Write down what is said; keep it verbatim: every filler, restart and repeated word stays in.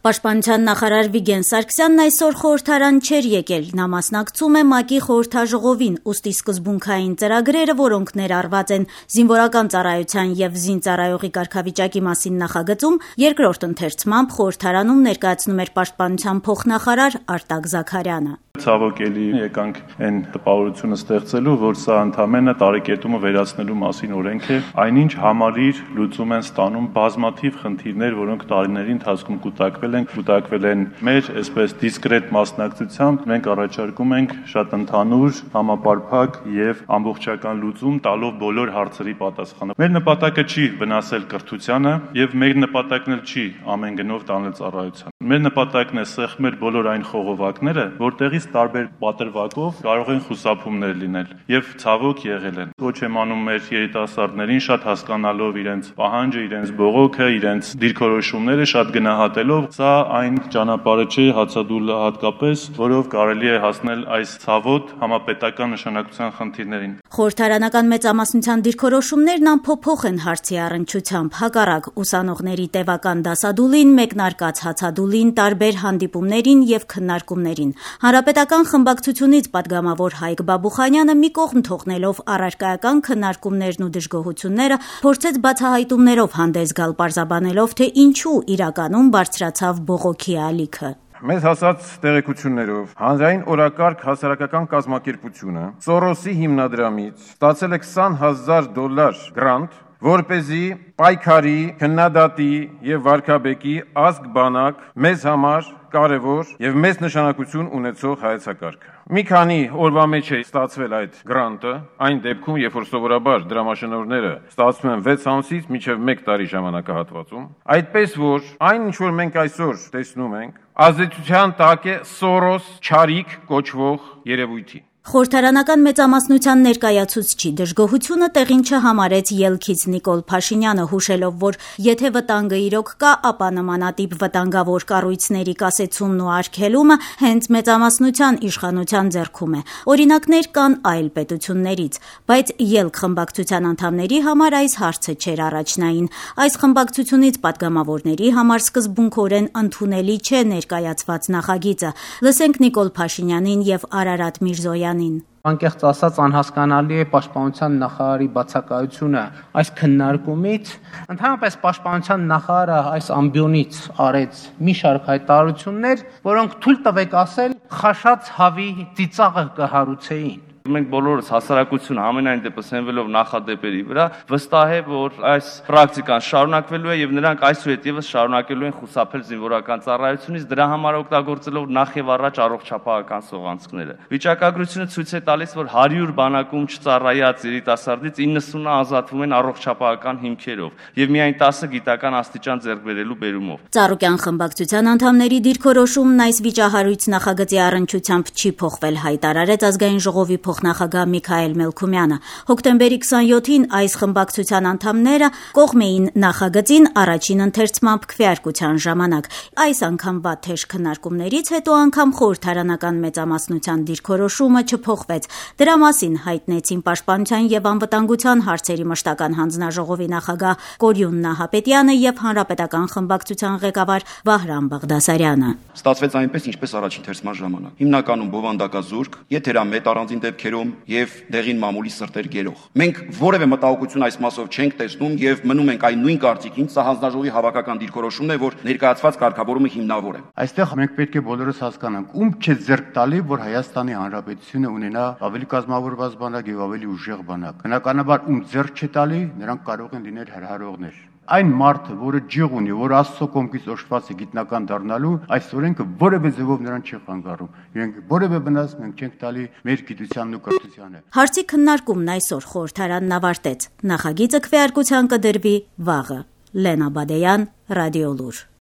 Պաշտպանության նախարար Վիգեն Սարգսյանն այսօր խորհրդարան չէր եկել, նա մասնակցում է ՄԱԿ-ի խորհրդաժողովին, ուստի սկզբունքային ծրագրերը, որոնք ներառված են զինվորական ծառայության եւ զինծառայողի կարգավիճակի մասին նախագծում, երկրորդ ընթերցմամբ խորհրդարանում ներկայացնում էր պաշտպանության փոխնախարար Արտակ Զաքարյանը։ Ցավոք էլի եկանք այն տպավորությունը ստեղծելու, որ սա ընդամենը տարեկետումը վերացնելու մասին օրենք է, այնինչ համալիր լուծում են ստանում բազմաթիվ խնդիրներ, որոնք տարիների ընթացքում կուտակվել են, կուտակվել են մեր այսպես դիսկրետ մասնակցությամբ, մենք առաջարկում ենք շատ ընդհանուր, համապարփակ եւ ամբողջական լուծում տալով բոլոր հարցերի պատասխանը։ Մեր նպատակը չի վնասել կրթությանը եւ մեր նպատակն էլ չի ամեն գնով տանել ծառայության։ Մեր նպատակն է սեղմել բոլոր այն խողովակները, որտեղից տարբեր պատրվակով կարող են խուսափումներ լինել եւ ցավոք եղել են։ Ոչ եմ անում մեր երիտասարդներին շատ հասկանալով իրենց պահանջը, իրենց բողոքը, իրենց դիրքորոշումները շատ գնահատելով, սա այն ճանապարհը չէ հացադուլ հատկապես, որով կարելի է հասնել այս ցավոտ համապետական նշանակության խնդիրներին։ Խորհրդարանական մեծամասնության դիրքորոշումներն անփոփոխ են հարցի առնչությամբ, հակառակ ուսանողների տևական դասադուլին, մեկնարկած հացադուլին, տարբեր հանդիպումներին եւ քննարկումներին։ Հանրապետական խմբակցությունից պատգամավոր Հայկ Բաբուխանյանը մի կողմ թողնելով առարկայական քննարկումներն ու դժգոհությունները փորձեց բացահայտումներով հանդես գալ, պարզաբանելով, թե ինչու իրականում բարձրացավ բողոքի ալիքը։ Մեզ հասած տեղեկություններով հանրային օրակարգ հասարակական կազմակերպությունը Սորոսի հիմնադրամից ստացել է քսան հազար դոլար գրանտ, որպեսզի պայքարի, քննադատի եւ վարքաբեկի ազգ բանակ մեզ համար կարևոր եւ մեծ նշանակություն ունեցող հայեցակարգը։ Մի քանի օրվա մեջ է ստացվել այդ գրանտը, այն դեպքում, երբ որ սովորաբար դրամաշնորհները ստացվում են վեց ամսից մինչև մեկ տարի ժամանակահատվածում, այդպես որ այն ինչ որ մենք այսօր տեսնում ենք, ազդեցության տակ է Սորոս չարիք կոչվող երևույթի։ Խորհրդարանական մեծամասնության ներկայացուցչի դժգոհությունը տեղին չհամարեց ելքից Նիկոլ Փաշինյանը, հուշելով, որ եթե վտանգը իրոք կա, ապա նմանատիպ վտանգավոր կառույցների կասեցումն ու արգելումը հենց մեծամասնության իշխանության ձեռքում է։ Օրինակներ կան այլ պետություններից, բայց ելք խմբակցության անդամների համար այս հարցը չէր առաջնային։ Այս խմբակցությունից պատգամավորների համար սկզբունքորեն ընդունելի չէ ներկայացված նախագիծը։ Լսենք Նիկոլ Փաշինյանին եւ Արարատ Միրզոյանին։ Անկեղծ ասած անհասկանալի է պաշտպանության նախարարի բացակայությունը այս քննարկումից։ Ընդհանրապես պաշտպանության նախարարը այս ամբիոնից արեց մի շարք հայտարարություններ, որոնք թույլ տվեք ասել խաշած հավի ծիծաղը կհարուցեին։ Մենք բոլորս հասարակությունը ամենայն դեպս հենվելով նախադեպերի վրա վստահ է, որ այս պրակտիկան շարունակվելու է եւ նրանք այսուհետ եւս շարունակելու են խուսափել զինվորական ծառայությունից, դրա համար օգտագործելով նախ եւ առաջ առողջապահական սողանցքները։ Վիճակագրությունը ցույց է տալիս, որ հարյուր բանակում չծառայած երիտասարդից իննսունը ազատվում են առողջապահական հիմքերով եւ միայն տասը գիտական աստիճան ձեռք բերելու բերումով։ Ծառուկյան խմբակցության անդամների դիրքորոշումն այս վիճահարույց նախագծի առնչությամբ չի փոխվել, հայտարարեց ազգային ժողովի փոխնախագահ Միքայել Մելքումյանը։ Հոկտեմբերի քսանյոթին այս խմբակցության անդամները կողմ էին նախագծին առաջին ընթերցմամբ քվեարկության ժամանակ։ Այս անգամվա թեժ քննարկումներից հետո անգամ խորհրդարանական մեծամասնության դիրքորոշումը չփոխվեց։ Դրա մասին հայտնեցին Պաշտպանության եւ անվտանգության հարցերի մշտական հանձնաժողովի նախագահ Կորյուն Նահապետյանը եւ հանրապետական խմբակցության ղեկավար Վահրամ Բաղդասարյանը։ Ստացվեց այնպես, ինչպես առաջին թերցման ժամանակ։ Հիմնականում բովանդակազուրկ, եթերամետ առանձին դեպքերում եւ դեղին մամուլի սրտեր գերող։ Մենք որևէ մտահոգություն այս մասով չենք տեսնում եւ մնում ենք այն նույն կարծիքին, սա հանձնաժողովի հավաքական դիրքորոշումն է, որ ներկայացված կարգավորումը հիմնավոր է։ Այստեղ մենք պետք է բոլորս հասկանանք, ում չէ ձեռք տալի, որ Հայաստանի Հանրապետությունը ունենա ավելի կազմավորված բանակ եւ ավելի ուժեղ բանակ։ Բնականաբար ում ձեռք չէ տալի, նրանք կարող են լինել հրահարողներ։ Այն մարդը, որը ջիղ ունի, որ Աստծո կողմից օժտված է գիտնական դառնալու, այս օրենքը որևէ ձևով նրան չի խանգարում։ Իրենք որևէ վնաս մենք չենք տալի մեր գիտությանն ու կրթությանը։ Հարցի քննարկումն այսօր խորհրդարանն ավարտեց։ Նախագիծը քվեարկության կդրվի վաղը։ Լենա Բադեյան, Ռադիոլուր։